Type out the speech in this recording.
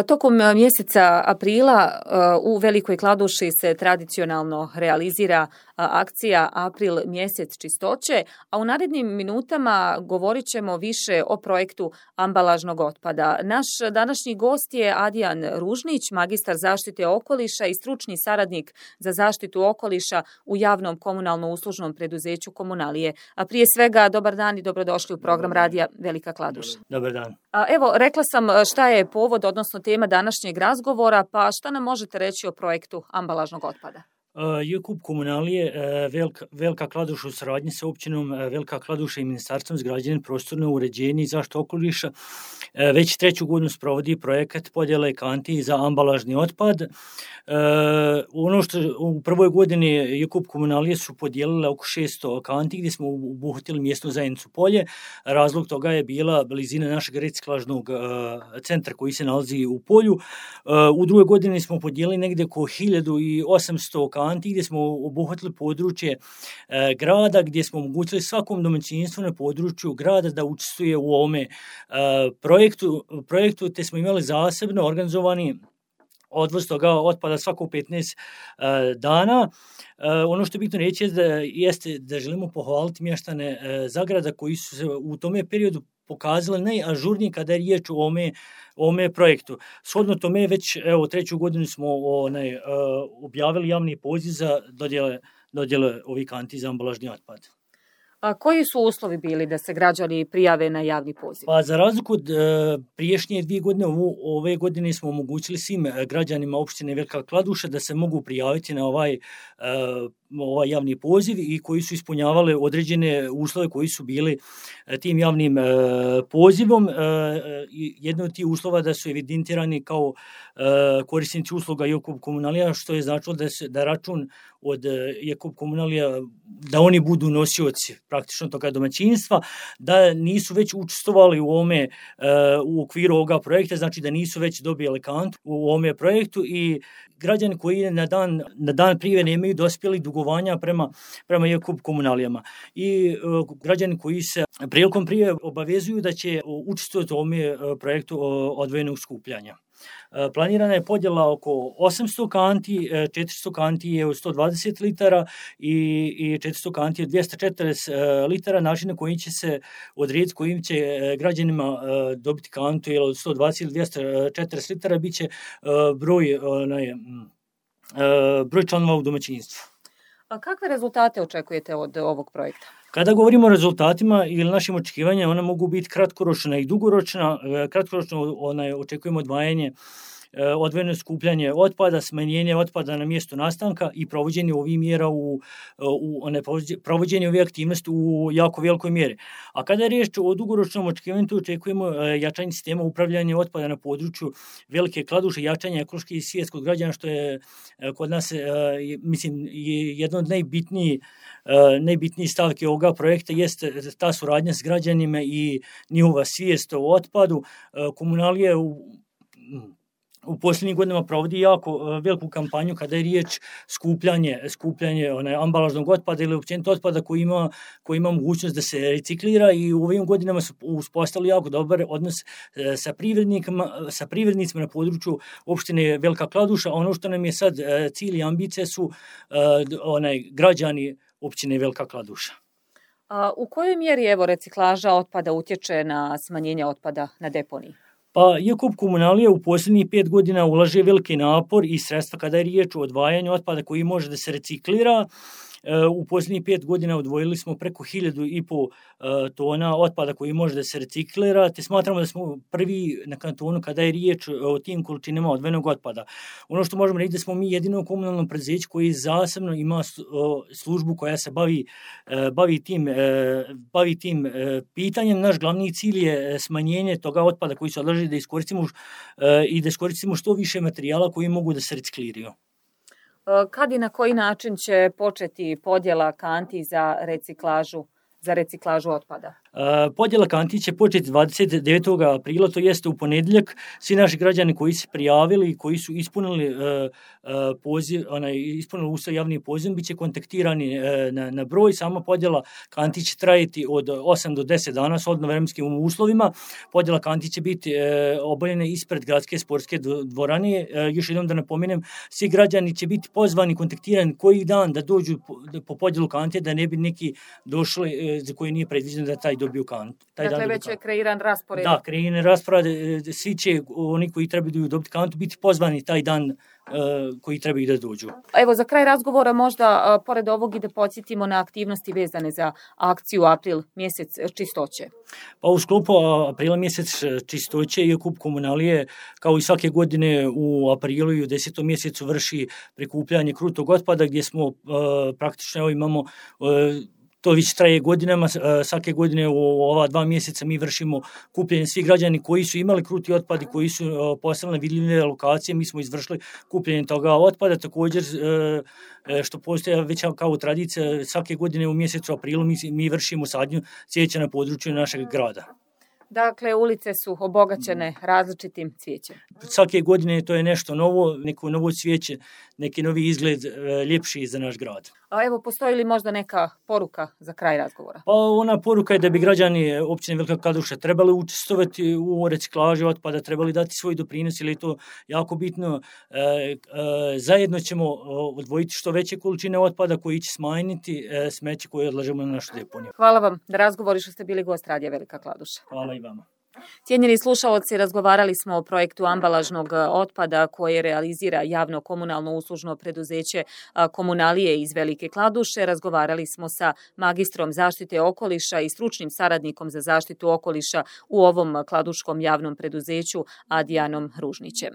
Tokom mjeseca aprila u Velikoj Kladuši se tradicionalno realizira akcija April mjesec čistoće, a u narednim minutama govorit ćemo više o projektu ambalažnog otpada. Naš današnji gost je Adijan Ružnić, magistar zaštite okoliša i stručni saradnik za zaštitu okoliša u javnom komunalno-uslužnom preduzeću Komunalije. A prije svega, dobar dan i dobrodošli u program radija Velika Kladuša. Dobar dan. Evo, rekla sam šta je povod, odnosno tema današnjeg razgovora, pa šta nam možete reći o projektu ambalažnog otpada? JKUP Komunalije Velika Kladuša u saradnji sa općinom Velika Kladuša i Ministarstvom za građenje, prostorno uređenje i zaštitu okoliša već 3. godinu sprovodi projekat podjele kanti za ambalažni otpad. Ono što u prvoj godini JKUP Komunalije su podijelile oko 600 kanti gdje smo obuhvatili mjesnu zajednicu Polje. Razlog toga je bila blizina našeg reciklažnog centra koji se nalazi u Polju. U drugoj godini smo podijelili negdje oko 1800 kanti gdje smo obuhvatili područje grada, gdje smo omogućili svakom domaćinstvu na području grada da učestvuje u ovome projektu, te smo imali zasebno organizovani odvoz toga otpada svako 15 dana. Ono što je bitno reći jeste da želimo pohvaliti mještane Zagrada koji su se u tome periodu pokazali najažurniji kada je riječ o ovome projektu. Shodno tome već 3. godinu smo objavili javni poziv za dodjele ovih kanti za ambalažni otpad. A koji su uslovi bili da se građani prijave na javni poziv? Pa za razliku od priješnje 2 godine, ove godine smo omogućili svim građanima opštine Velika Kladuša da se mogu prijaviti na ovaj javni poziv i koji su ispunjavali određene uslove koji su bili tim javnim pozivom. Jedno od tih uslova da su evidentirani kao korisnici usluga JKUP Komunalija, što je značilo da račun od JKUP Komunalija, da oni budu nosioci praktično toga domaćinstva, da nisu već učestvovali u okviru ovoga projekta, znači da nisu već dobili kantu u ovome projektu i građani koji na dan prije nemaju dospjeli dugovanja prema JKUP Komunalijama i građani koji se prilikom prije obavezuju da će učestvovati u ovome projektu odvojenog skupljanja. Planirana je podjela oko 800 kanti, 400 kanti je 120 litara i 400 kanti je 240 litara, način na koji će se odrediti kojim će građanima dobiti kantu ili od 120 ili 240 litara bit će broj članova u domaćinstvu. A kakve rezultate očekujete od ovog projekta? Kada govorimo o rezultatima ili našim očekivanjima, ona mogu biti kratkoročna i dugoročna. Kratkoročno očekujemo odvojeno skupljanje otpada, smanjenje otpada na mjestu nastanka i provođenje ovih mjera provođenje ovih aktivnosti u jako velikoj mjeri. A kada je riječ o dugoročnom očekivanju, očekujemo jačanje sistema upravljanja otpada na području Velike Kladuše, jačanje ekološke i svjetskog građana, što je kod nas jedno od najbitnijih stavki ovoga projekta jeste ta suradnja s građanima i njihova svijest o otpadu. Komunalije u posljednjih godinama provodi jako veliku kampanju kada je riječ skupljanje ambalažnog otpada ili općenito otpada koji ima mogućnost da se reciklira i u ovim godinama su uspostavili jako dobar odnos sa privrednicima na području opštine Velika Kladuša. Ono što nam je sad cilj i ambicije su građani općine Velika Kladuša. U kojoj mjeri reciklaža otpada utječe na smanjenje otpada na deponiji? Pa JKUP Komunalija u posljednjih 5 godina ulaže veliki napor i sredstva kada je riječ o odvajanju otpada koji može da se reciklira. U posljednjih 5 godina odvojili smo preko 1.500 tona otpada koji može da se reciklira, te smatramo da smo prvi na kantonu kada je riječ o tim količinama odvojenog otpada. Ono što možemo reći da smo mi jedino komunalno preduzeće koji zasebno ima službu koja se bavi tim pitanjem. Naš glavni cilj je smanjenje toga otpada koji se odlaže da iskoristimo što više materijala koji mogu da se recikliraju. Kad i na koji način će početi podjela kanti za reciklažu za reciklažu otpada? Podjela kanti će početi 29. aprila, to jeste u ponedjeljak. Svi naši građani koji se prijavili i koji su ispunili uslov javni poziv bit će kontaktirani na broj. Sama podjela kanti će trajati od 8 do 10 dana s vremenskim uslovima. Podjela kanti će biti obavljena ispred gradske sportske dvorane. Još jednom da napomenem, svi građani će biti pozvani, kontaktirani koji dan da dođu po podjelu kanti, da ne bi neki došli za koji nije predviđeno da taj dobiju kantu. Dakle, već je kreiran raspored. Da, kreiran raspored. Svi će, oni koji trebaju dobiti kantu, biti pozvani taj dan koji trebaju da dođu. Evo, za kraj razgovora možda, pored ovog, i da podsjetimo na aktivnosti vezane za akciju April mjesec čistoće. Pa u sklopu Aprila mjesec čistoće i Okup komunalije, kao i svake godine u aprilu i u 10. mjesecu vrši prikupljanje krutog otpada, gdje smo praktično imamo to već traje godinama, svake godine u ova 2 mjeseca mi vršimo kupljenje svih građani koji su imali kruti otpad i koji su postavili vidljive lokacije, mi smo izvršili kupljenje toga otpada. Također, što postoje već kao tradicija, svake godine u mjesecu aprilu mi vršimo sadnju cvijeća na području našeg grada. Dakle, ulice su obogaćene različitim cvijećem. Svake godine to je nešto novo, neko novo cvijeće, neki novi izgled, ljepši za naš grad. A evo, postoji li možda neka poruka za kraj razgovora? Pa ona poruka je da bi građani općine Velika Kladuša trebali učestvovati u reciklaži otpada, trebali dati svoj doprinos, jer je to jako bitno. Zajedno ćemo odvojiti što veće količine otpada koji će smanjiti smeće koje odlažemo na našu deponiju. Hvala vam na razgovoru što ste bili gost Radija Velika Kladuša. Hvala i vama. Cijenjeni slušaoci, razgovarali smo o projektu ambalažnog otpada koje realizira javno komunalno uslužno preduzeće Komunalije iz Velike Kladuše. Razgovarali smo sa magistrom zaštite okoliša i stručnim saradnikom za zaštitu okoliša u ovom kladuškom javnom preduzeću Adijanom Ružnićem.